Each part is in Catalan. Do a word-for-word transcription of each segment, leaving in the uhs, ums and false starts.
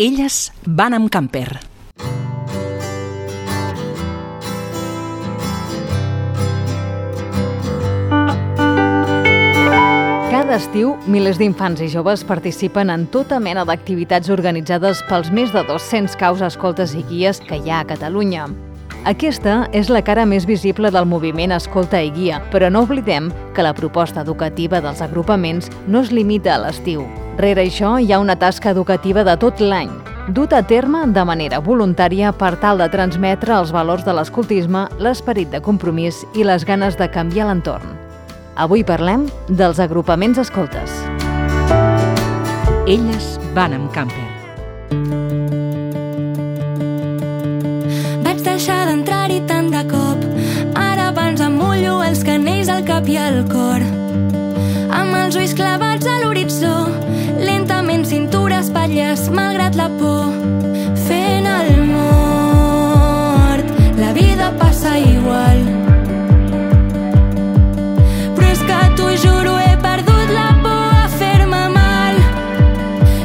Elles van amb camper. Cada estiu, milers d'infants i joves participen en tota mena d'activitats organitzades pels més de dos-cents caus, escoltes i guies que hi ha a Catalunya. Aquesta és la cara més visible del moviment Escolta i Guia, però no oblidem que la proposta educativa dels agrupaments no es limita a l'estiu. Rere això hi ha una tasca educativa de tot l'any, duta a terme de manera voluntària per tal de transmetre els valors de l'escoltisme, l'esperit de compromís i les ganes de canviar l'entorn. Avui parlem dels agrupaments escoltes. Elles van amb camper. Vaig deixar d'entrar-hi tant de cop. Ara abans em mullo els canells al cap i al cor. Amb els ulls clavats a l'horitzó, lentament cintura, espatlles, malgrat la por. Fent el mort, la vida passa igual. T'ho juro, he perdut la por a fer-me mal.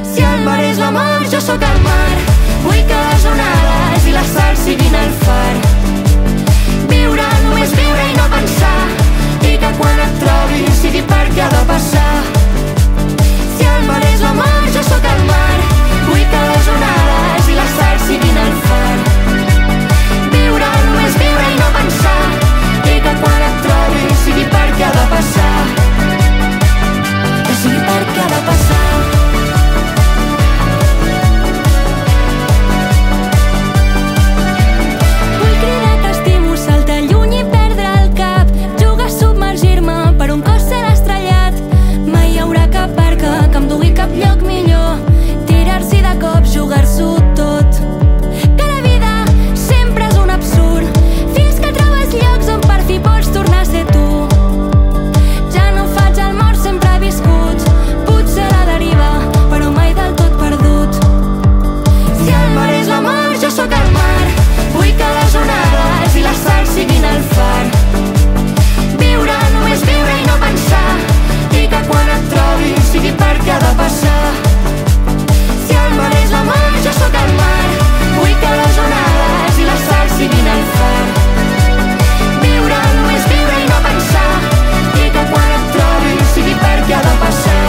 Si el mar és l'amor, jo sóc el mar. Vull que les onades i la sal siguin el far. Viure, només viure i no pensar. I que quan et trobi sigui perquè ha de passar. Si el mar és l'amor, jo sóc el mar. Vull que les onades i la sal siguin el far. Viure, només viure i no pensar. I que quan et trobi sigui perquè ha de passar. Que sigui perquè ha de passar. Vull cridar que estimo, saltar lluny i perdre el cap. Jugar a submergir-me per un cos ser estrellat. Mai hi haurà cap barca que em dugui cap lloc millor. Tirar-s'hi de cop, jugar-s'ho tot. Que la vida sempre és un absurd. Fins que trobes llocs on per fi pots tornar a ser tu. Ja no faig el mort, sempre he viscut. Potser a la deriva, però mai del tot perdut. Si el mar és l'amor, jo sóc el mar. Vull que les onades i la sal siguin el far. Viure, només viure i no pensar. I que quan et trobi sigui perquè ha de passar. Si el mar és l'amor, jo sóc el mar. Vull que les onades i la sal siguin el far. Viure, només viure i no pensar. I que quan et trobi sigui perquè ha de passar.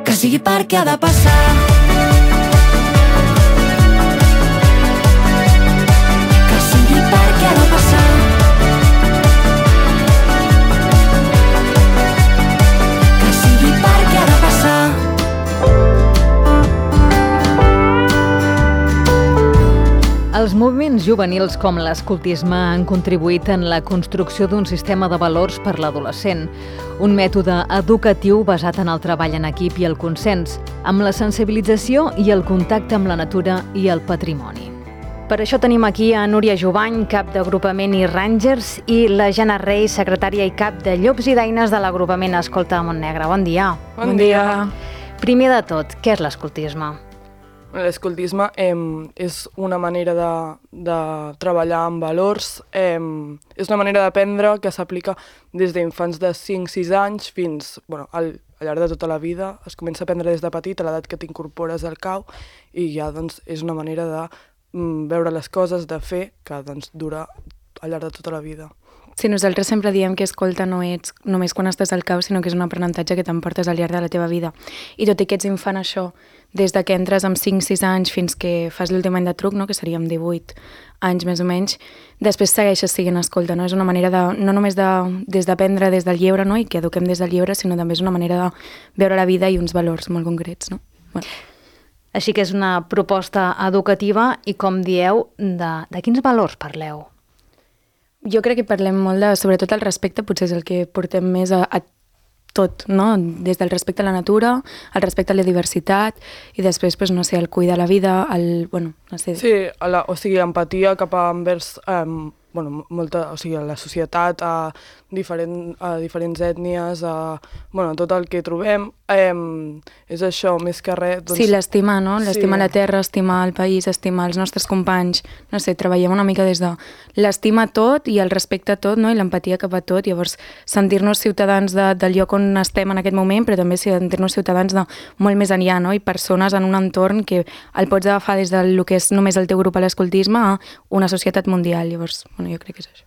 Que sigui perquè ha de passar. Que sigui perquè ha de passar. Que sigui perquè ha de passar. Els moviments juvenils com l'escoltisme han contribuït en la construcció d'un sistema de valors per l'adolescent, un mètode educatiu basat en el treball en equip i el consens, amb la sensibilització i el contacte amb la natura i el patrimoni. Per això tenim aquí a Núria Jovany, cap d'agrupament i Rangers, i la Jana Rey, secretària i cap de Llops i Daines de l'agrupament Escolta Montnegre. Bon dia. Bon dia. Primer de tot, què és l'escoltisme? L'escoltisme eh, és una manera de, de treballar amb valors, eh, és una manera d'aprendre que s'aplica des d'infants de cinc sis anys fins bueno, al, al llarg de tota la vida. Es comença a aprendre des de petit, a l'edat que t'incorpores al cau, i ja doncs, és una manera de mm, veure les coses, de fer, que doncs, dura al llarg de tota la vida. Sí, nosaltres sempre diem que escolta no ets només quan estàs al cau, sinó que és un aprenentatge que t'emportes al llarg de la teva vida. I tot i que ets infant, això, des de que entres amb cinc sis anys fins que fas l'últim any de truc, no? Que seríem divuit anys més o menys, després segueixes siguent escolta. No? És una manera de, no només de, des d'aprendre des del lleure, no? I que eduquem des del lleure, sinó també és una manera de veure la vida i uns valors molt concrets. No? Bueno. Així que és una proposta educativa i, com dieu, de, de quins valors parleu? Jo crec que parlem molt de, sobretot el respecte, potser és el que portem més a, a tot, no? Des del respecte a la natura, el respecte a la diversitat i després, pues, no sé, el cuidar la vida, el, bueno, no sé... Sí, la, o sigui, empatia cap a envers eh, bueno, molta, o sigui, a la societat, a, diferent, a diferents ètnies, a bueno, tot el que trobem. Eh, és això, més que res... Doncs... Sí, l'estimar, no? L'estimar sí. la terra, estimar el país, estimar els nostres companys. No sé, treballem una mica des de l'estima a tot i el respecte a tot, no? I l'empatia cap a tot. Llavors, sentir-nos ciutadans de, del lloc on estem en aquest moment, però també sentir-nos ciutadans de molt més enllà, no? I persones en un entorn que el pots agafar des del que és només el teu grup a l'escoltisme a una societat mundial. Llavors, bueno, jo crec que és això.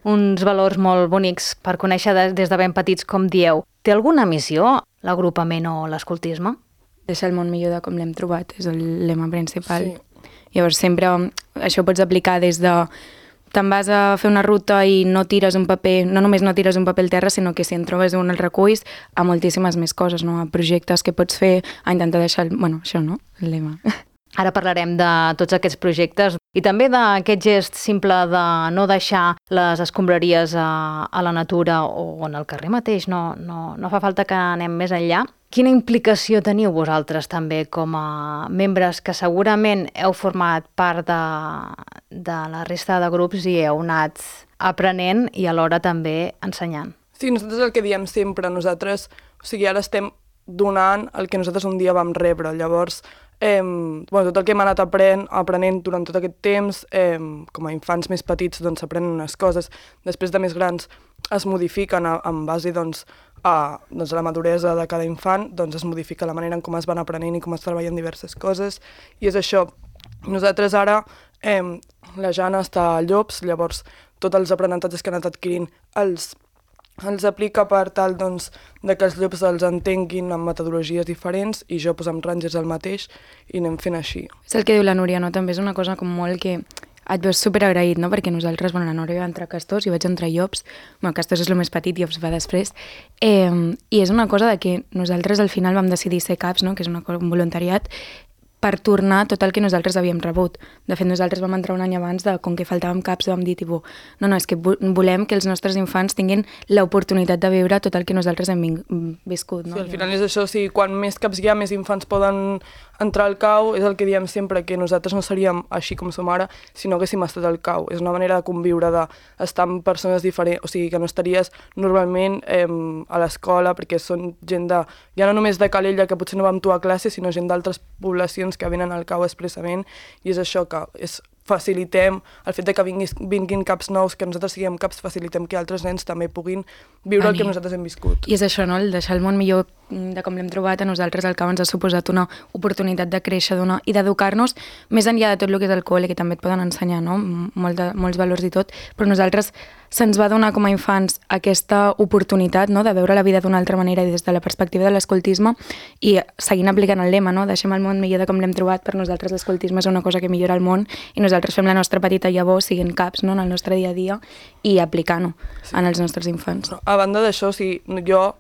Uns valors molt bonics per conèixer des de ben petits, com dieu. Té alguna missió, l'agrupament o l'escoltisme? Deixar el món millor de com l'hem trobat, és el lema principal. Sí. Llavors sempre això ho pots aplicar des de te'n vas a fer una ruta i no tires un paper, no només no tires un paper al terra, sinó que si en trobes un el reculls a moltíssimes més coses, no? A projectes que pots fer, a intentar deixar, el... bueno, això, no? El lema. Ara parlarem de tots aquests projectes i també d'aquest gest simple de no deixar les escombraries a, a la natura o en el carrer mateix, no, no, no fa falta que anem més enllà. Quina implicació teniu vosaltres també com a membres que segurament heu format part de, de la resta de grups i heu anat aprenent i alhora també ensenyant? Sí, nosaltres el que diem sempre, nosaltres, o sigui, ara estem donant el que nosaltres un dia vam rebre, llavors Eh, bueno, tot el que hem anat aprenent, aprenent durant tot aquest temps, eh, com a infants més petits doncs aprenen unes coses, després de més grans es modifiquen a, en base doncs, a, doncs, a la maduresa de cada infant, doncs es modifica la manera en com es van aprenent i com es treballen diverses coses, i és això. Nosaltres ara, eh, la Jana està a Llops, llavors tots els aprenentatges que han anat adquirint els els aplica per tal doncs, de que els llops els entenguin amb metodologies diferents i jo pues, amb Rangers el mateix i anem fent així. És el que diu la Núria, no? També és una cosa com molt que et veus superagraït, no? Perquè nosaltres, bueno, la Núria va entrar a Castors, jo vaig entrar a Llops, bueno, Castors és el més petit, Llops va després, eh, i és una cosa de que nosaltres al final vam decidir ser caps, no? Que és una cosa, un voluntariat, per tornar tot el que nosaltres havíem rebut. De fet, nosaltres vam entrar un any abans de, com que faltàvem caps, vam dir, tipus, no, no, és que volem que els nostres infants tinguin l'oportunitat de viure tot el que nosaltres hem viscut. No? Sí, al final és això, o sigui, quan més caps hi ha, més infants poden entrar al C A U, és el que diem sempre, que nosaltres no seríem així com som ara, si no haguéssim estat al C A U. És una manera de conviure, d'estar amb persones diferents, o sigui, que no estaries normalment eh, a l'escola, perquè són gent de, ja no només de Calella, que potser no va amb tu a classe, sinó gent d'altres poblacions que venen al C A U expressament, i és això que és, facilitem el fet de que vinguis, vinguin caps nous, que nosaltres siguem caps, facilitem que altres nens també puguin viure Vani. El que nosaltres hem viscut. I és això, no? El deixar el món millor de com l'hem trobat, a nosaltres el C A U ens ha suposat una oportunitat de créixer d'una, i d'educar-nos més enllà de tot el que és el col·le, que també et poden ensenyar, no? Molt de, molts valors i tot, però nosaltres se'ns va donar com a infants aquesta oportunitat, no? De veure la vida d'una altra manera i des de la perspectiva de l'escoltisme i seguint aplicant el lema, no? Deixem el món millor de com l'hem trobat. Per nosaltres l'escoltisme és una cosa que millora el món i nosaltres fem la nostra petita llavor siguent caps, no? En el nostre dia a dia i aplicant-ho sí. En els nostres infants. A banda d'això, o sigui, jo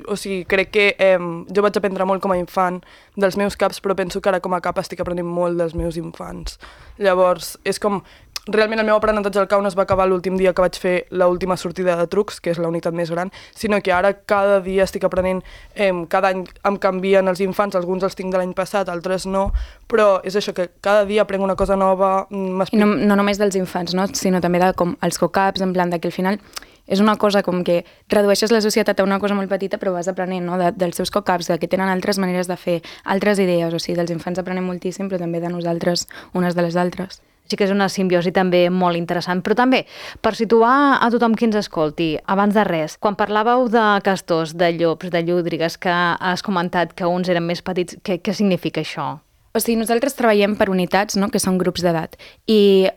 o sigui, crec que eh, jo vaig aprendre molt com a infant dels meus caps, però penso que ara com a cap estic aprenent molt dels meus infants. Llavors, és com... Realment el meu aprenentatge al C A U no es va acabar l'últim dia que vaig fer l'última sortida de trucs, que és la unitat més gran, sinó que ara cada dia estic aprenent, eh, cada any em canvien els infants, alguns els tinc de l'any passat, altres no, però és això, que cada dia aprenc una cosa nova. I no, no només dels infants, no? Sinó també de com els cocaps, en plan de que al final és una cosa com que redueixes la societat a una cosa molt petita, però vas aprenent, no? De, dels seus cocaps, de que tenen altres maneres de fer, altres idees, o sigui, dels infants aprenem moltíssim, però també de nosaltres, unes de les altres. Sí que és una simbiosi també molt interessant, però també per situar a tothom qui ens escolti, abans de res, quan parlàveu de castors, de llops, de llúdrigues, que has comentat que uns eren més petits, què, què significa això? O sigui, nosaltres treballem per unitats, no?, que són grups d'edat, i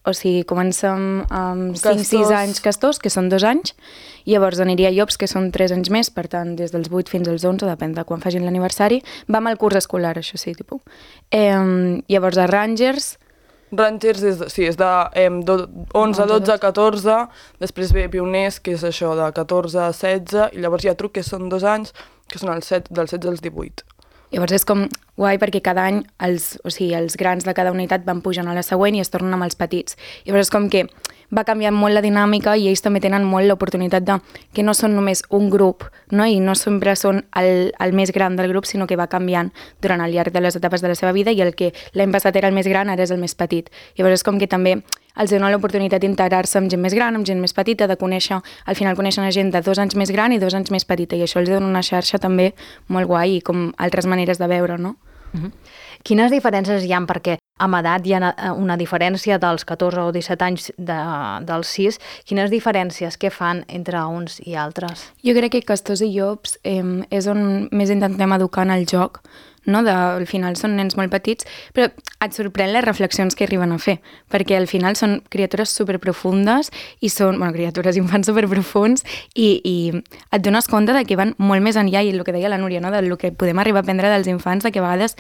o sigui, comencem amb cinc sis anys castors, que són dos anys, i llavors aniria a llops, que són tres anys més, per tant, des dels vuit fins als onze, depèn de quan facin l'aniversari, vam al curs escolar, això sí, tipus. Eh, llavors a Rangers... Rangers és, sí, és de eh, onze, dotze, catorze, després ve Pioners, que és això, de catorze a setze, i llavors hi ha truc, que són dos anys, que són els set, dels setze als divuit. Llavors és com guai perquè cada any els, o sigui, els grans de cada unitat van pujant a la següent i es tornen amb els petits. Llavors és com que va canviant molt la dinàmica i ells també tenen molt l'oportunitat de que no són només un grup, no? I no sempre són el, el més gran del grup, sinó que va canviant durant el llarg de les etapes de la seva vida i el que l'any passat era el més gran ara és el més petit. Llavors és com que també els dona l'oportunitat d'integrar-se amb gent més gran, amb gent més petita, de conèixer, al final coneixen gent de dos anys més gran i dos anys més petita, i això els dona una xarxa també molt guai i com altres maneres de veure, no? Uh-huh. Quines diferències hi ha? Perquè amb edat hi ha una diferència dels catorze o disset anys de, dels sis. Quines diferències que fan entre uns i altres? Jo crec que Castors i Llops eh, és on més intentem educar en el joc, no? De, al final són nens molt petits, però et sorprèn les reflexions que arriben a fer, perquè al final són criatures superprofundes i són, bueno, criatures, infants superprofuns i, i et dones compte de que van molt més enllà, i el que deia la Núria, no? Del que podem arribar a aprendre dels infants, de que a vegades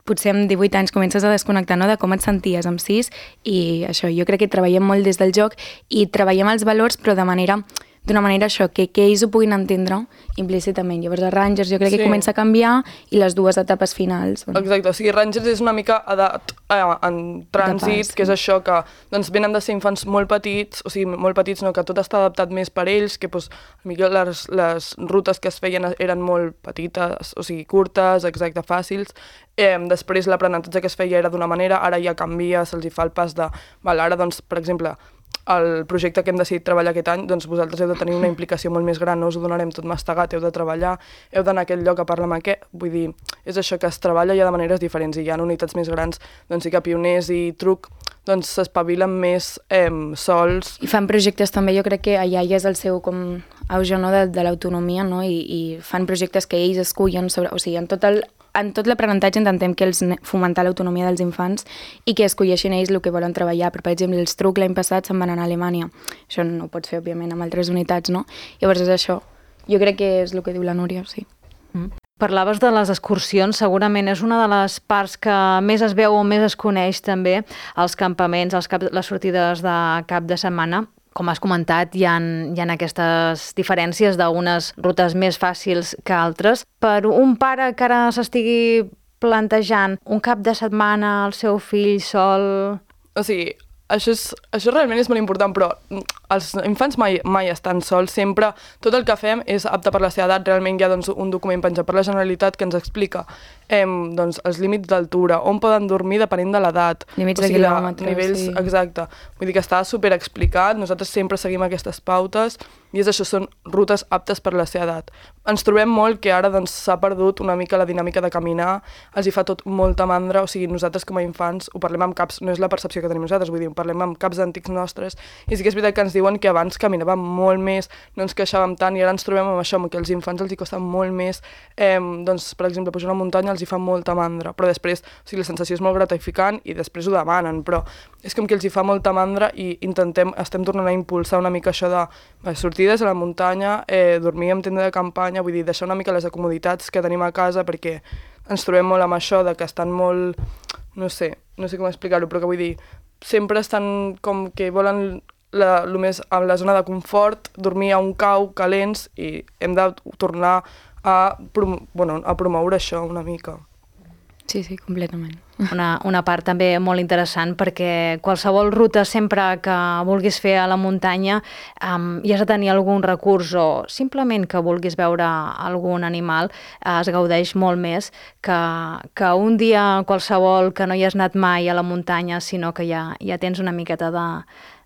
potser amb divuit anys comences a desconnectar, no?, de com et senties amb sis, i això, jo crec que treballem molt des del joc i treballem els valors, però de manera d'una manera això, que, que ells ho puguin entendre implícitament. Llavors a Rangers jo crec sí. que comença a canviar, i les dues etapes finals. Bueno. Exacte, o sigui, Rangers és una mica edat eh, en trànsit, que és això, que doncs, venen de ser infants molt petits, o sigui, molt petits, no, que tot està adaptat més per ells, que doncs, millor les, les rutes que es feien eren molt petites, o sigui, curtes, exacte, fàcils. Eh, després l'aprenentatge que es feia era d'una manera, ara ja canvia, se'ls hi fa el pas de... Val, ara, doncs, per exemple, el projecte que hem decidit treballar aquest any, doncs vosaltres heu de tenir una implicació molt més gran, no us ho donarem tot mastegat, heu de treballar, heu d'anar a aquell lloc a parlar amb aquest, vull dir, és això, que es treballa ja de maneres diferents, i hi ha unitats més grans, doncs sí que Pioners i Truc doncs s'espavilen més eh, sols. I fan projectes també, jo crec que allà ja és el seu com auge, no?, de, de l'autonomia, no?, I, i fan projectes que ells escullen sobre, o sigui, en tot el en tot l'aprenentatge intentem que els fomentar l'autonomia dels infants i que escolleixin ells el que volen treballar. Però, per exemple, els Truc l'any passat se'n van anar a Alemanya. Això no ho pots fer, òbviament, amb altres unitats, no? Llavors és això. Jo crec que és el que diu la Núria, sí. Mm. Parlaves de les excursions, segurament és una de les parts que més es veu o més es coneix també, els campaments, els cap, les sortides de cap de setmana. Com has comentat, hi ha, hi ha aquestes diferències d'unes rutes més fàcils que altres. Per un pare que ara s'estigui plantejant un cap de setmana al seu fill sol... O sigui, això, és, això realment és molt important, però els infants mai, mai estan sols, sempre tot el que fem és apte per la seva edat. Realment hi ha doncs, un document penjat per la Generalitat que ens explica eh, doncs, els límits d'altura, on poden dormir depenent de l'edat. Límits o sigui, de quilòmetres, nivells, sí. Exacte. Vull dir que està super explicat, nosaltres sempre seguim aquestes pautes i és això, són rutes aptes per la seva edat. Ens trobem molt que ara doncs, s'ha perdut una mica la dinàmica de caminar, els hi fa tot molta mandra, o sigui, nosaltres com a infants ho parlem amb caps, no és la percepció que tenim nosaltres, vull dir, ho parlem amb caps antics nostres, i sí que és veritat que ens diuen que abans caminàvem molt més, no ens queixàvem tant, i ara ens trobem amb això, amb que els infants els hi costa molt més, eh, doncs, per exemple, pujar una muntanya els hi fa molta mandra, però després, o sigui, la sensació és molt gratificant i després ho demanen, però és com que els hi fa molta mandra i intentem, estem tornant a impulsar una mica això de eh, sortides a la muntanya, eh, dormir en tenda de campanya, vull dir, deixar una mica les comoditats que tenim a casa, perquè ens trobem molt amb això de que estan molt, no sé, no sé com explicar-ho, però que vull dir, sempre estan com que volen la, lo més, a la zona de confort, dormir a un cau, calents, i hem de tornar a, prom bueno, a promoure això una mica. Sí, sí, completament. Una, una part també molt interessant, perquè qualsevol ruta sempre que vulguis fer a la muntanya um, i has de tenir algun recurs o simplement que vulguis veure algun animal, eh, es gaudeix molt més que, que un dia qualsevol que no hi has anat mai a la muntanya, sinó que ja, ja tens una miqueta de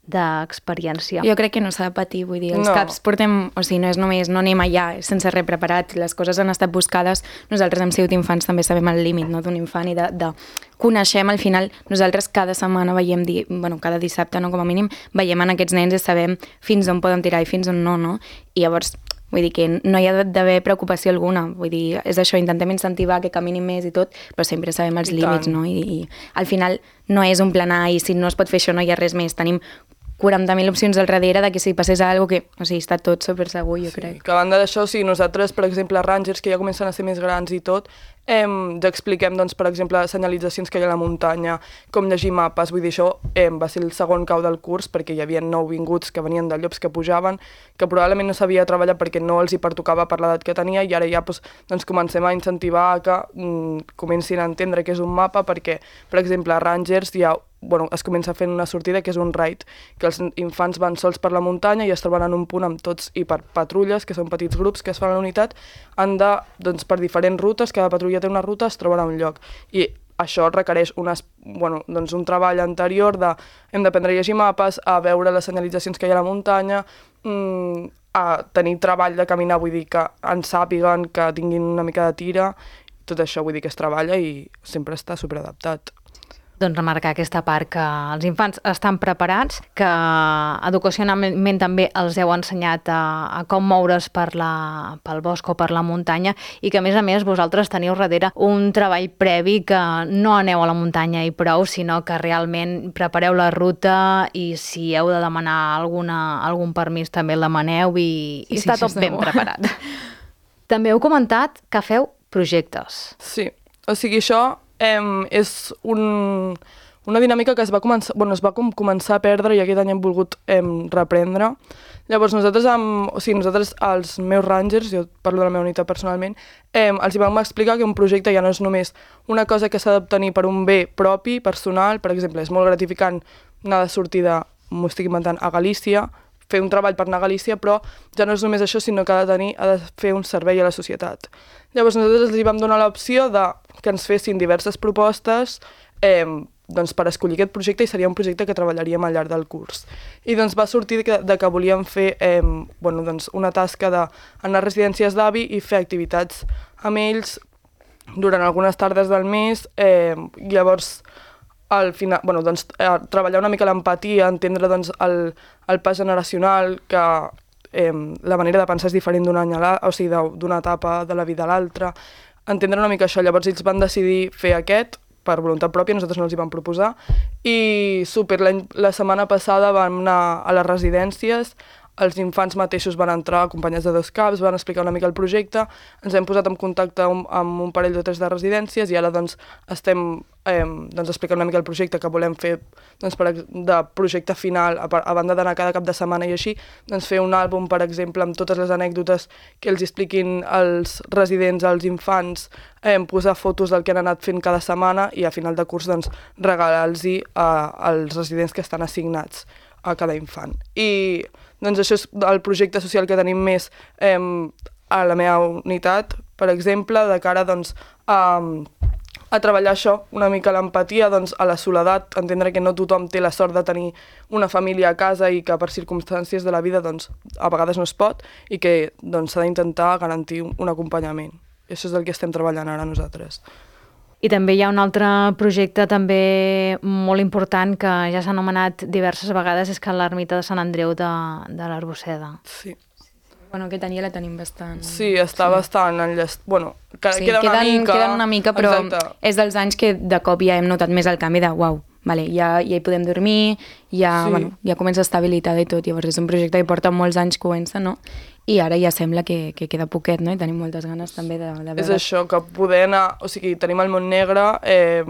d'experiència. Jo crec que no s'ha de patir, vull dir, els no. caps portem, o sigui, no és només, no anem allà sense res preparat, les coses han estat buscades, nosaltres hem sigut infants, també sabem el límit, no?, d'un infant, i de, de coneixem, al final, nosaltres cada setmana veiem, di, bueno, cada dissabte, no?, com a mínim, veiem en aquests nens i sabem fins on poden tirar i fins on no, no? I llavors, vull dir que no hi ha d'haver preocupació alguna, vull dir, és això, intentem incentivar que caminin més i tot, però sempre sabem els I límits, tant. No? I, i al final no és un plan A i si no es pot fer això no hi ha res més, tenim quaranta mil opcions al darrere de que si passés alguna cosa que, o sigui, està tot super segur, jo sí, crec. Que a banda d'això, o sigui, nosaltres, per exemple, Rangers, que ja comencen a ser més grans i tot, eh, ja expliquem, doncs, per exemple, senyalitzacions que hi ha a la muntanya, com llegir mapes, vull dir, això eh, va ser el segon cau del curs, perquè hi havia nou vinguts que venien de llops que pujaven, que probablement no sabia treballar perquè no els hi pertocava per l'edat que tenia, i ara ja doncs, doncs, comencem a incentivar que mm, comencin a entendre què és un mapa, perquè, per exemple, a Rangers hi ha bueno, es comença fent una sortida que és un raid, que els infants van sols per la muntanya i es troben en un punt amb tots i per patrulles, que són petits grups que es fan a la unitat, han de, doncs, per diferents rutes, cada patrulla té una ruta, es troben a un lloc. I això requereix unes, bueno, doncs un treball anterior de hem d'aprendre a llegir mapes, a veure les senyalitzacions que hi ha a la muntanya, mmm, a tenir treball de caminar, vull dir que en sàpiguen, que tinguin una mica de tira, tot això vull dir que es treballa i sempre està superadaptat. Doncs remarcar aquesta part que els infants estan preparats, que educacionalment també els heu ensenyat a, a com moure's per la, pel bosc o per la muntanya i que a més a més vosaltres teniu darrere un treball previ que no aneu a la muntanya i prou, sinó que realment prepareu la ruta i si heu de demanar alguna, algun permís també el demaneu i, i sí, està sí, tot ben preparat. També heu comentat que feu projectes. Sí, o sigui, això eh, és un, una dinàmica que es va començar, bueno, es va com començar a perdre i aquest any hem volgut eh, reprendre. Llavors nosaltres, amb, o sigui, nosaltres, els meus rangers, jo parlo de la meva unitat personalment, eh, els hi vam explicar que un projecte ja no és només una cosa que s'ha d'obtenir per un bé propi, personal, per exemple, és molt gratificant anar de sortida, m'ho estic inventant, a Galícia, fer un treball per anar a Galícia, però ja no és només això, sinó que ha de tenir, ha de fer un servei a la societat. Llavors nosaltres els hi vam donar l'opció de que ens fessin diverses propostes eh, doncs per escollir aquest projecte i seria un projecte que treballaríem al llarg del curs. I doncs va sortir que, de que volíem fer eh, bueno, doncs una tasca d'anar a residències d'avi i fer activitats amb ells durant algunes tardes del mes. Eh, llavors, al final, bueno, doncs, eh, treballar una mica l'empatia, entendre doncs, el, el pas generacional, que eh, la manera de pensar és diferent d'un any a l'altre, o sigui, d'una etapa de la vida a l'altra, entendre una mica això. Llavors ells van decidir fer aquest per voluntat pròpia, nosaltres no els hi vam proposar, i super, la, la setmana passada vam anar a les residències, els infants mateixos van entrar acompanyats de dos caps, van explicar una mica el projecte, ens hem posat en contacte amb, amb un parell o tres de residències i ara doncs, estem eh, doncs, explicant una mica el projecte que volem fer doncs, per, de projecte final, a, a banda d'anar cada cap de setmana i així, doncs, fer un àlbum, per exemple, amb totes les anècdotes que els expliquin als residents, als infants, eh, posar fotos del que han anat fent cada setmana i a final de curs doncs, regalar-los als residents que estan assignats a cada infant. I doncs això és el projecte social que tenim més eh, a la meva unitat, per exemple, de cara doncs, a, a treballar això, una mica l'empatia, doncs, a la soledat, entendre que no tothom té la sort de tenir una família a casa i que per circumstàncies de la vida doncs, a vegades no es pot i que doncs, s'ha d'intentar garantir un acompanyament. I això és el que estem treballant ara nosaltres. I també hi ha un altre projecte també molt important que ja s'ha anomenat diverses vegades, és que l'ermita de Sant Andreu de, de l'Arbosseda. Sí. Bueno, aquest any ja la tenim bastant... Sí, està sí. bastant enllest... Bueno, que, sí, queda una queden, mica... Queden una mica, però exacte. És dels anys que de cop ja hem notat més el canvi de uau, vale, ja, ja hi podem dormir, ja, sí. bueno, ja comença a estar habilitada i tot, llavors és un projecte que porta molts anys que comença, no? I ara ja sembla que, que queda poquet, no? I tenim moltes ganes també de, de veure... És això, que poder anar... O sigui, tenim el Montnegre, eh,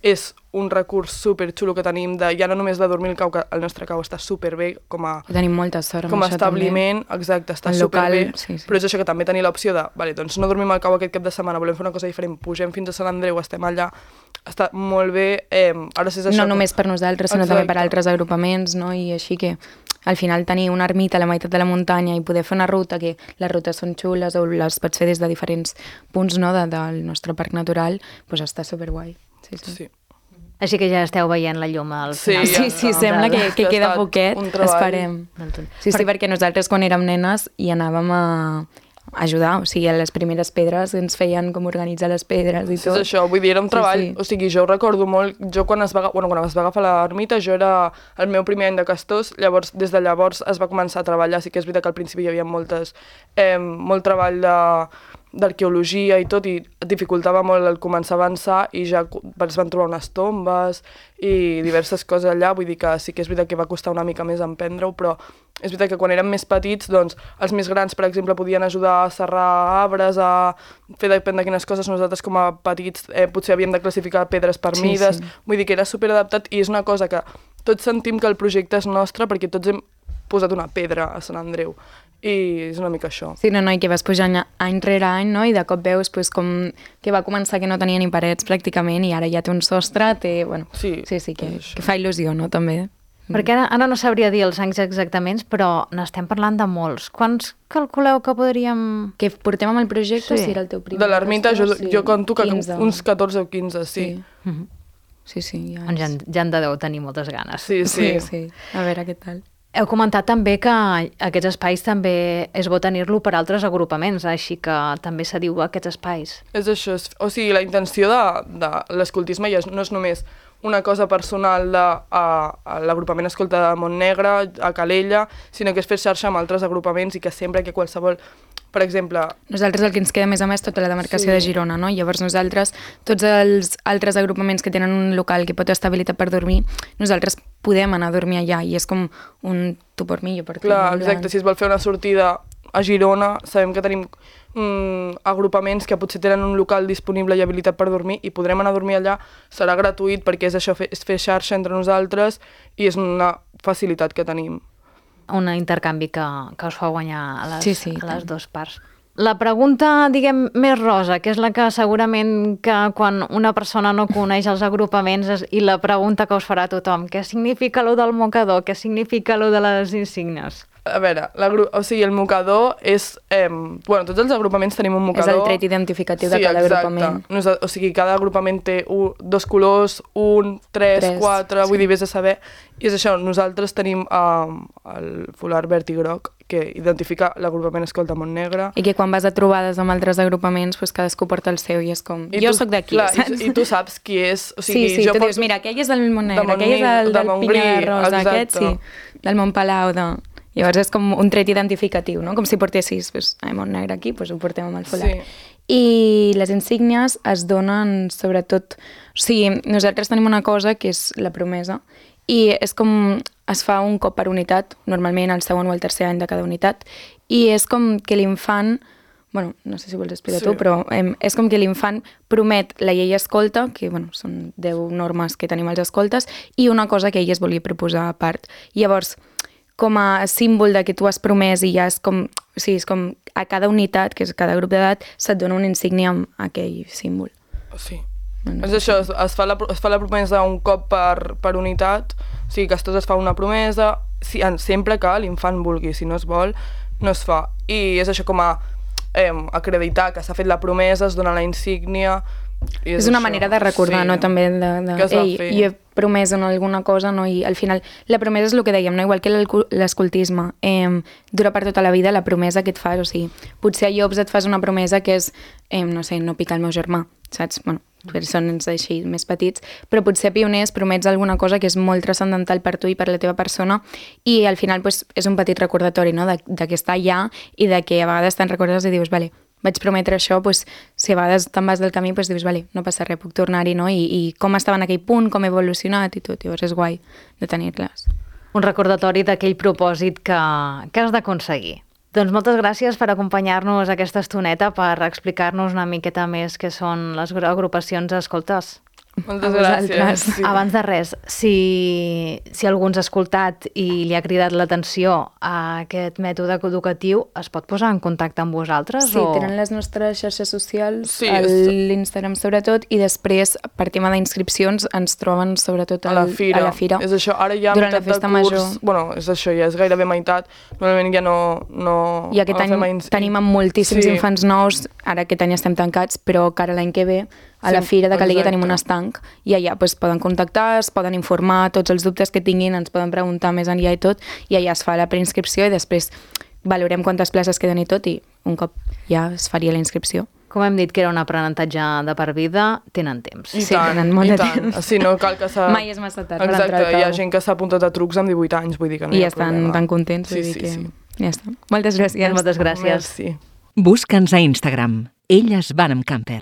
és un recurs superxulo que tenim de... Ja no només de dormir al cau, que el nostre cau està superbé com a... I tenim molta sort amb com a això establiment, també. Exacte, està el superbé. Local, sí, sí. Però és això, que també tenir l'opció de... Vale, doncs no dormim al cau aquest cap de setmana, volem fer una cosa diferent, pugem fins a Sant Andreu, estem allà, està molt bé. Eh, ara és això, no només per nosaltres, sinó exacte. també per altres agrupaments, no? I així que... Al final tenir una ermita a la meitat de la muntanya i poder fer una ruta, que les rutes són xules o les pots fer des de diferents punts, no, de, del nostre parc natural, doncs està superguai. Sí, sí. Sí. Així que ja esteu veient la llum al Sí, final. Sí, sí, sembla que, que Ja queda ha estat poquet, un treball. esperem. Sí, sí, perquè nosaltres quan érem nenes hi anàvem a ajudar, o sigui, a les primeres pedres ens feien com organitzar les pedres i Sí, tot. és això, vull dir, era un treball, Sí, sí. o sigui, jo ho recordo molt, jo quan es va, bueno, quan es va agafar l'ermita, jo era el meu primer any de Castors, llavors, des de llavors es va començar a treballar, sí que és veritat que al principi hi havia moltes, eh, molt treball de d'arqueologia i tot, i dificultava molt el començar a avançar i ja es van trobar unes tombes i diverses coses allà, vull dir que sí que és veritat que va costar una mica més emprendre-ho, però és veritat que quan érem més petits, doncs, els més grans, per exemple, podien ajudar a serrar arbres, a fer depèn de quines coses, nosaltres com a petits eh, potser havíem de classificar pedres per Sí, mides, sí. vull dir que era superadaptat i és una cosa que tots sentim que el projecte és nostre perquè tots hem posat una pedra a Sant Andreu. I és una mica això. Sí, no, no, i que vas pujant any rere any, no? I de cop veus pues, com que va començar que no tenia ni parets pràcticament i ara ja té un sostre, té... Bueno, Sí, sí, sí que, és que fa il·lusió, no?, també. Perquè ara, ara no sabria dir els anys exactaments, però n'estem parlant de molts. Quants calculeu que podríem... Que portem amb el projecte, Sí. si era el teu primer? De l'ermita jo, sí. jo conto que quinze. uns catorze o quinze, sí. Sí. Mhm. Sí, sí, ja Doncs ja, és... en- ja en deveu tenir moltes ganes. Sí, sí. Sí, sí. A veure què tal. Heu comentat també que aquests espais també és bo tenir-lo per altres agrupaments, així que també s'adiu a aquests espais. És això, és, o sigui, la intenció de, de l'escoltisme ja és, no és només una cosa personal de a, a l'agrupament Escolta de Montnegre, a Calella, sinó que és fer xarxa amb altres agrupaments i que sempre que qualsevol, per exemple... Nosaltres el que ens queda més a més tota la demarcació Sí. de Girona, no? Llavors nosaltres, tots els altres agrupaments que tenen un local que pot estar habilitat per dormir, nosaltres podem anar a dormir allà i és com un tu per mi, jo per tu. Clar, en plan- exacte, si es vol fer una sortida a Girona, sabem que tenim mm, agrupaments que potser tenen un local disponible i habilitat per dormir i podrem anar a dormir allà, serà gratuït perquè és això, fer, és fer xarxa entre nosaltres i és una facilitat que tenim. Un intercanvi que, que us fa guanyar a les, Sí, sí, a les tant. dues parts. La pregunta, diguem, més rosa, que és la que segurament que quan una persona no coneix els agrupaments és, i la pregunta que us farà tothom, què significa lo del mocador, què significa lo de les insígnies? A veure, o sigui, el mocador és... Eh, bueno, tots els agrupaments tenim un És mocador. el tret identificatiu de cada exacte. agrupament. Nosa- O sigui, cada agrupament té un, dos colors, un, tres, Tres, quatre, sí. vull dir, vés a saber. I és això, nosaltres tenim eh, el folar verd i groc, que identifica l'agrupament Escolta Montnegre. I que quan vas a trobades amb altres agrupaments, pues cadascú porta el seu i és com... I jo tu- sóc d'aquí, clar, saps? I, I tu saps qui és. O sigui, sí, sí, jo tu porto- dius, mira, aquell és del Montnegre, de aquell és Montnegre, el de del Montgrí, Pinya de Rosa, exacte. aquest sí, del Montpalau, de... Llavors és com un tret identificatiu, no? Com si portessis, pues, ai, Montnegre aquí, pues ho portem amb el folar. Sí. I les insígnies es donen sobretot... O sigui, nosaltres tenim una cosa que és la promesa i és com es fa un cop per unitat, normalment el segon o el tercer any de cada unitat, i és com que l'infant, bueno, no sé si vols explicar Sí. tu, però eh, és com que l'infant promet la llei escolta, que bueno, són deu normes que tenim als escoltes, i una cosa que ell es volia proposar a part. Llavors, com a símbol de que tu has promès i ja és com, o sigui, és com a cada unitat, que és cada grup d'edat, se't dona una insígnia amb aquell símbol. Sí. No És això, es, es, fa la, es fa la promesa un cop per, per unitat, o sigui que es tot es fa una promesa, si, en- sempre que l'infant vulgui, si no es vol, no es fa. I és això com a eh, acreditar que s'ha fet la promesa, es dona la insígnia... I És una això. manera de recordar, Sí. no? També de, de Que es va ei, fer. jo he promès en alguna cosa, no? I al final, la promesa és el que dèiem, no? Igual que l'alcu- l'escoltisme, eh, dura per tota la vida la promesa que et fas, o sigui, potser a Llops et fas una promesa que és, eh, no sé, no picar el meu germà, saps? Bueno, per això ens així més petits, però potser a Pioners promets alguna cosa que és molt transcendental per tu i per la teva persona i al final pues, és un petit recordatori, no? de, de que està allà i de que a vegades te'n recordes i dius, vale, vaig prometre això, pues, si a vegades te'n vas del camí, pues, dius, vale, no passa res, puc tornar-hi, no? I, i com estava en aquell punt, com he evolucionat i tot, llavors és guai de tenir-les. Un recordatori d'aquell propòsit que, que has d'aconseguir. Doncs moltes gràcies per acompanyar-nos aquesta estoneta, per explicar-nos una miqueta més què són les agrupacions escoltes. Moltes A vosaltres. gràcies. Sí. Abans de res, si, si algú ens ha escoltat i li ha cridat l'atenció a aquest mètode educatiu, es pot posar en contacte amb vosaltres? Sí, o... tenen les nostres xarxes socials, Sí, el- és- l'Instagram sobretot, i després, per tema d'inscripcions, ens troben sobretot A la al- fira. a la fira. És això, ara ja Durant la meitat festa de curs... major. Bueno, és això, ja és gairebé meitat. Normalment ja no... no I aquest any agafem ins- tenim amb moltíssims Sí. infants nous, ara aquest any estem tancats, però que ara l'any que ve a la Sí, Fira de Calella exacte. tenim un estanc i allà pues, poden contactar, es poden informar, tots els dubtes que tinguin ens poden preguntar més enllà i tot, i allà es fa la preinscripció i després valorem quantes places queden i tot, i un cop ja es faria la inscripció. Com hem dit que era un aprenentatge de per vida, tenen temps. I Sí, tant, tenen molt i de tant. temps. Sí, no cal que s'ha... Mai és massa tard per Exacte, entrar al hi ha cau. gent que s'ha apuntat a trucs amb divuit anys, vull dir que no I hi ja ha estan problema. tan contents, Sí, vull dir sí, que sí. ja està. Moltes gràcies. Moltes gràcies. Merci. Busca'ns a Instagram. Elles van amb camper.